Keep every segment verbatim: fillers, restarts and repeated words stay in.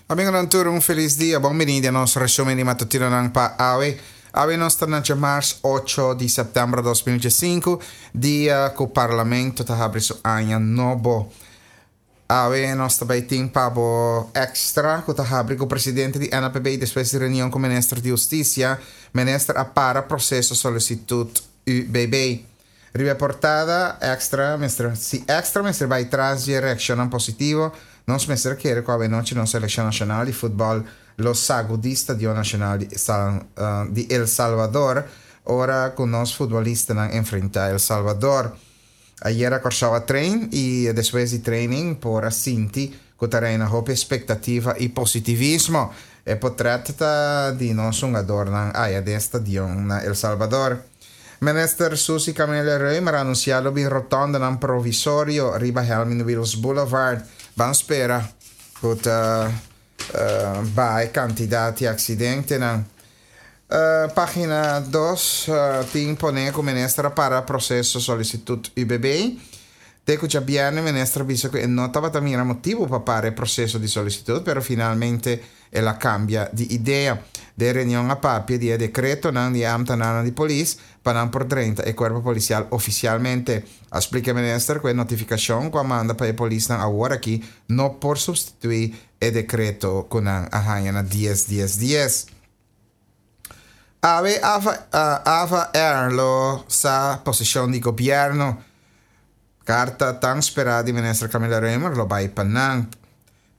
Amigonan tur, un felis dia. Bon bini na nos resumen di matutinonan pa awe. Awe nos ta na djamars ocho di sèptèmber dos mil diesinku, dia ku Parlamento ta habri su aña nobo. Awe nos ta bai tin pa bo Extra ku ta habri ku presidente di N A P B despues di reunion ku minister di Hustisia, minister a para proseso solisitut U B B. Riba portada Extra, mester, si Extra mester bai tras di reakshon positivo, nos mester kere ku anochi nos selekshon nashonal di futbòl lo sagudí Stadion Nashonal di, San, uh, di El Salvador, ora ku nos futbolistanan enfrentá El Salvador. Ayera Kòrsou a train i despues di training por a sinti ku ta reina hopi ekspektativa i positivismo. E portrèt ta di nos hungadónan aya den stadion na El Salvador. Minister Suzy Camelia Römer a anunsiá lo bin rotondenan provisorio riba Helmin Wiels Boulevard. Ban spera ku ta uh, baha kantidat di aksidentenan. Uh, página dos uh, tin pone ku minister a para proseso solisitut U B B. Te ku djabièrnè minister a bisa ku no tabata mira motibu pa para e proseso di solisitut, pero finalmente el a kambia di idea. Den reunion a papia di dekretonan di ambtenaar di polis pa nan por drenta e kuerpo polisial ofisialmente. A splika minister ku e notifikashon ku a manda pa e polisnan awor aki no por supstituí e dekreto ku nan a haña na dies dies dies. Awe Ava, uh, Ava Air lo sa posishon di gobièrnu. Karta tan esperá di minister Camelia Römer lo bai pa nan.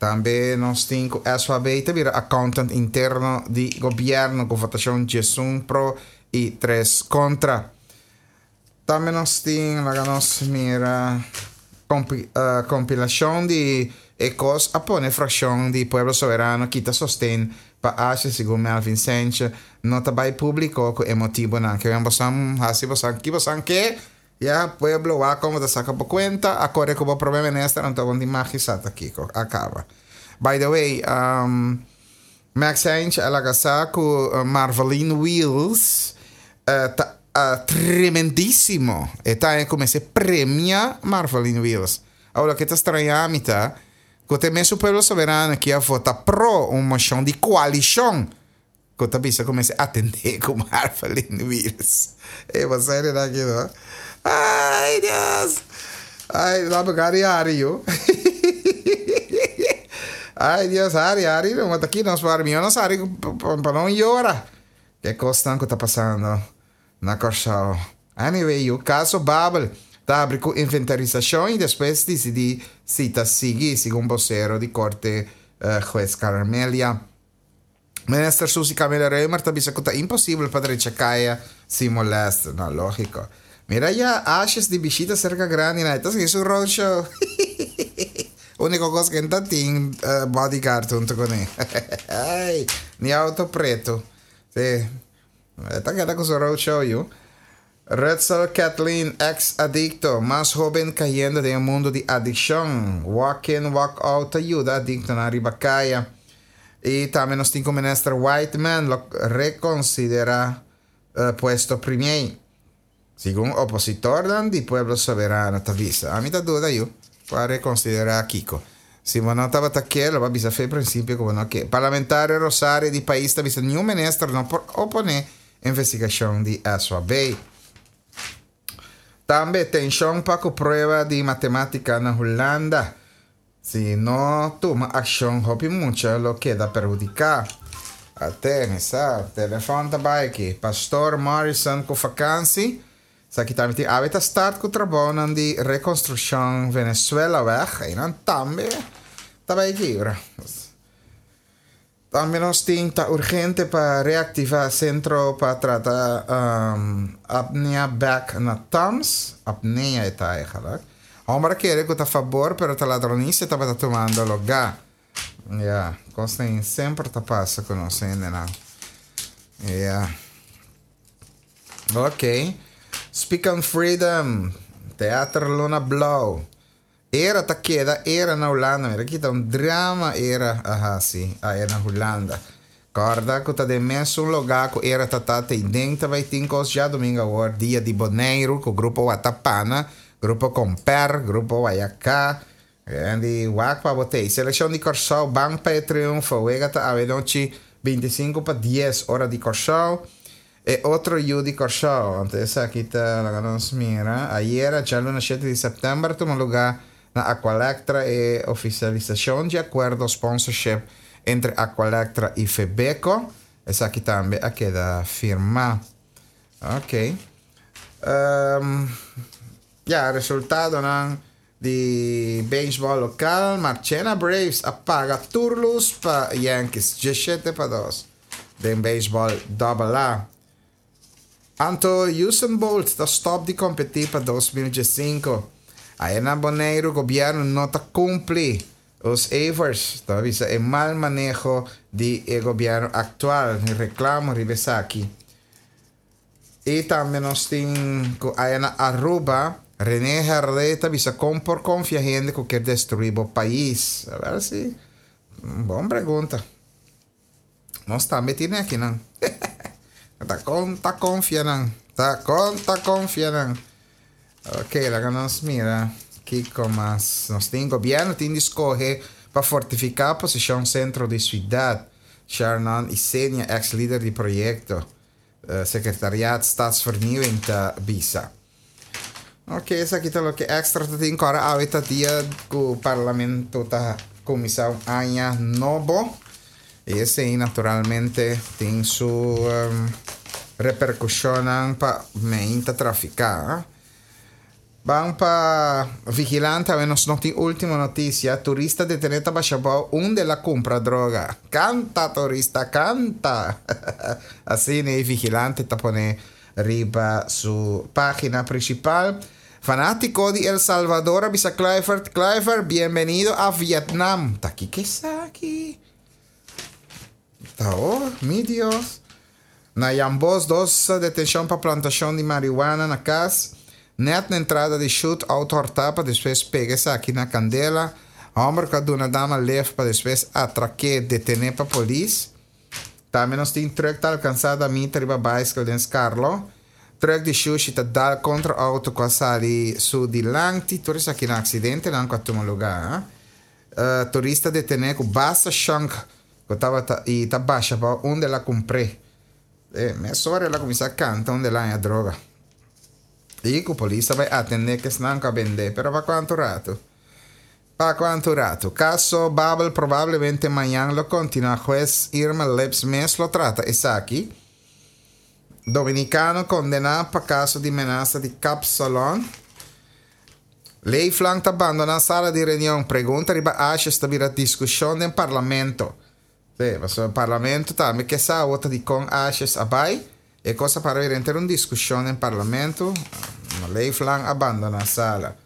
Tambe nos tin ku S W B ta bira accountant interno di gobièrnu ku votashon diesun pro i tres kontra. Tambe nos tin, laga nos mira, kompi, uh, kompilashon di e kos a pone frakshon di Pueblo Soberano kita sosten pa Asjes, segun Melvin Sanchez, no ta bai públiko ku e motibonan. Ke boso hasi boso ki boso ke ya pueblo wa komo ta saka bo kuenta a kore ku bo promé minister, anto bon di magisata kiko a kaba. By the way, um, Max Sanchez a laga sa ku uh, Marveline Wheels uh, ta uh, tremendísimo. E ta kuminsá premia Marveline Wheels. Awor ku ta straña mi ta ku te mesun Pueblo Soberano ku a vota pro un moshon di koalishon ku ta bisa kuminsá atendé ku Marveline Wheels. E bo aki, no? Ai, Dios. Ai, la gari hari yo. Ai, Dios, hari, hari, no, aki nos para mim, no sabe pa no yora. Ki kos ku ta pasando na Kòrsou? Anyway, e kaso Babel ta habri ku inventarisashon i despues disidí si ta sigui, segun bosero di korte, uh, hues Carmelia. Minister Suzy Camelia Römer ta bisa ku ta imposibel pa drecha kaya sin molèster. No, lógiko. Mira ya, Asjes di bishita serka grandi, na. Anto, esei ta un roadshow. Úniko kos ku e tin uh, bodyguard huntu kuné. Ai, ni outo pretu. Si. Ta keda ku su roadshow, yo. Rutsel Kathleen, ex-adikto, mas hóben kayendo den mundu di adikshon. Walk in, walk out, yuda adiktonan riba kaya. I tambe nos tin ku minister Whiteman lo rekonsiderá uh, puesto premier, segun opositor di Pueblo Soberano ta bisa. Ami ta duda yo pa rekonsiderá kiko. Si no tabata ke, lo a bisa for di prinsipio komo no ke. Parlamentario Rosario di pais ta bisa ningun minister no por oponé investigashon di S W B. Tambe tenshon pa prueba di matemátika na Hulanda. Si no tuma akshon, hopi mucha lo keda perhudiká. Até, sa, telefòn ta aki. Pastor Morrison ku vakansi. Esaki tambe tin awe ta start ku trabou di rekonstrukshon Venezuelaweg. Einan tambe ta bai kibra. Tambe nos tin ta urgente pa reaktivá sentro pa trata um, apnea bèk na TAMS. Apnea ta eigenlijk. Hòmber kere ku ta fabor, pero ta ladronisia tabata tumando lugá. Ja, kosnan semper ta pasa ku nos, no? Ja. Ok. Speak on Freedom. Teater Luna Blou. Era ta keda, era na Hulanda. Mira aki ta un drama era, aha, si, ah, era na Hulanda. Korda ku ta den mesun lugá ku era ta ta den ta bai tin kos djadumingu awor dia di Boneiru ku grupo Watapana, grupo Comper, grupo Guayacá. Andy, wak pa bo tei. Selekshon di Kòrsou, ban pa e triunfo. Wega ta awe nochi bintisinko pa dies ora di Kòrsou. E otro yu di Kòrsou. Anto esaki ta, laga nos mira. Ayera, djaluna shete di sèptèmber, tuma lugá na Aqualectra e ofisialisashon di akuerdo sponsorship entre Aqualectra i Febeko. Esaki tambe a keda firmá. Ok. Um, ya, resultadonan di beisbòl lokal. Marchena Braves a paga tur lus pa Yankees, diesshete pa dos. Den beisbòl Double A. Anto Usain Bolt ta stòp di kompetí pa dos mil diesinku. Aya na Boneiru gobièrnu no ta kumpli. Os Evers ta bisa e mal maneho di e gobièrnu aktual. Reklamo riba esaki. I tambe nos tin ku aya na Aruba René Herdé ta bisa kon por konfia hende ku kier destruí bo pais. A ber si. Bon pregunta. Nos tambe tine akinan. Ta kon ta konfia nan. Ta kon ta konfia nan. Ok, laga nos mira kiko mas nos tin. Gobierno tin di skohe pa fortifiká posishon sentro di siudat. Sharnon Isenia, eks lider di proyekto Sekretariat Stadsvernieuwing ta bisa. Ok, esaki ta loke Extra ta tin ku ora awe ta dia ku Parlamento ta kuminsá un aña nobo. I esei naturalmente tin su reperkushonnan pa meinta trafiká. Ban pa Vigilante awe nos no tin ultimo notisia. Turista detené ta basha bou unda el a kumpra droga. Kanta turista kanta! Asina e Vigilante ta pone riba su página prinsipal. Fanátiko di El Salvador a bisa Kluivert, Kluivert, bienbenido a Vietnam. Ta kiko esaki? Ta oh, mi Dios. Na Jambos dos detenshon pa plantashon di marihuana na kas. Nèt na entrada di shut outo hòrtá pa despues pega esaki na kandela. Hòmber ku a duna dama lef pa despues atrak'é detené pa polis. Tambe nos tin trùk ta alkansá damita riba baiskel den Skarlo. Trùk di shushi ta dal kontra outo ku a sali su dilanti. Tur esaki na aksidentenan ku a tuma lugá. Turista detené ku basta shònk ku tabata i ta basha bou unda el a kumpr'é. E mesora el a kuminsá kanta unda el a haña droga. I ku polis a bai atendé ku esnan ku a bend'é, pero pa kuantu ratu? Pa kuantu ratu? Kaso Babel probablemente mañan lo kontinuá. Hues Irma Lips mes lo trata esaki. Dominikano kondená pa kaso di menasa di kapsalon. Leeflang ta bandoná sala di reunion. Pregunta riba Asjes ta bira diskushon den parlamento. Sí, pasobra parlamento tambe ke sa awor ta dikon Asjes a bai. E kos a para bira henter un diskushon den parlamento. Leeflang a bandoná sala.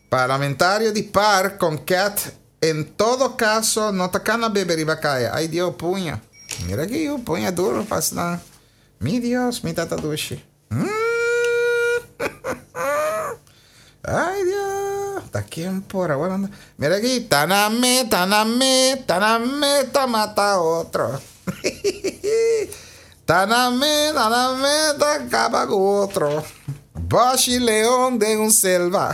Parlamentario di par kon ket en todo kaso no ta kana bebe riba kaya. Ay Dios, puña. Mira aki yu, puña duro pas nan. Mi Dios, mi tata dushi. Ay Dios, ta ken por awor anda. Mira aki, ta na me, ta na me, ta na me, ta mata otro. Ta na me, ta na me, ta kaba ku otro. Boshi leon den un selva.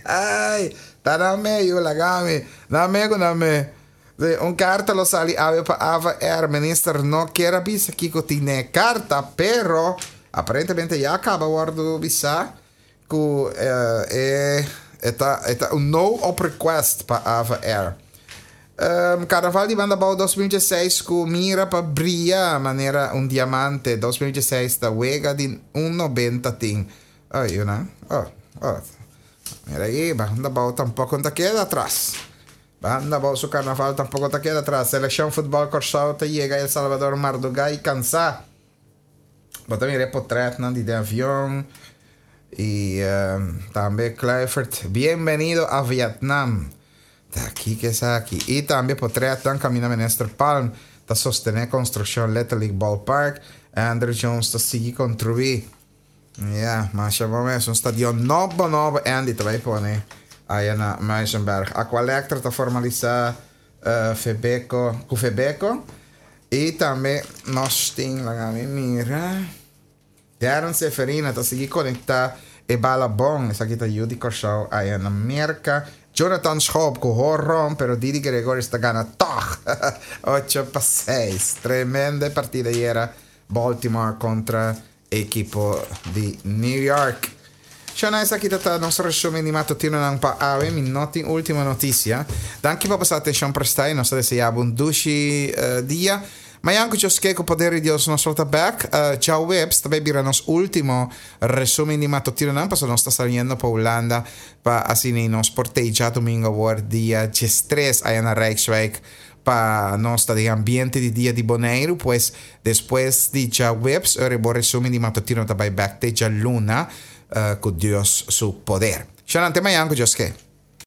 Ay, ta na me, yu laga mi. Na me ku na me. Sí, un karta lo sali awe pa Ava Air. Minister no kier a bisa kiko tin den e karta, pero aparentemente ya kaba wòrdu bisá ku e e ta e ta un no op request pa Ava Air. Um, Karnaval di Banda Bou dos mil dieseis ku mira pa bria manera un diamante. Dos mil dieseis ta wega di un nobenta tin. Oh, yunan. Oh, oh. Mira aki, Banda Bou tampoko no ta keda atras. Banda Bou su karnaval tampoko ta keda atras. Selekshon futbòl Kòrsou ta yega El Salvador mardugá i kansá. Bo ta mira e potretnan di den avion. I um, tambe Kluivert, bienvenido a Vietnam. Ta kiko esaki? I tambe potretnan kaminda Minister Palm ta sostené konstrukshon Little League Ballpark. Andruw Jones ta sigui kontruí. Ya, masha bon mes. Un stadion nobo nobo Andy ta bai pone aya na Muizenberg. Aqualectra ta formalisá Febeko ku Febeko. I tambe nos tin, laga mi mira. Darren Seferina ta sigui konektá e bala bon. Esaki ta yu di Kòrsou aya na Merka. Jonathan Schoop ku homerun, pero Didi Gregorius ta gana toch. ocho pa seis. Tremendo partida ayera. Baltimore kontra ekipo di New York. Shana, esaki ta nos resumen di matutinonan pa awe, mi no tin último notisia. Danki pa boso atenshon prestá i nos ta deseá un dushi uh, dia. Mañan ku Dios ke, ku poder di Dios, nos ta back. Uh, djaweps, tambe bira nos último resumen di matutinonan, pasobra nos ta saliendo pa Hulanda pa asina nos por ta djadumingu awor dia diestres aya na Rijkswijk pa nos ta den ambiente di Dia di Boneiru. Pues despues di djaweps, e resumen di matutino ta bai back te djaluna, uh, ku Dios su poder. Shana, te mañan ku Dios ke.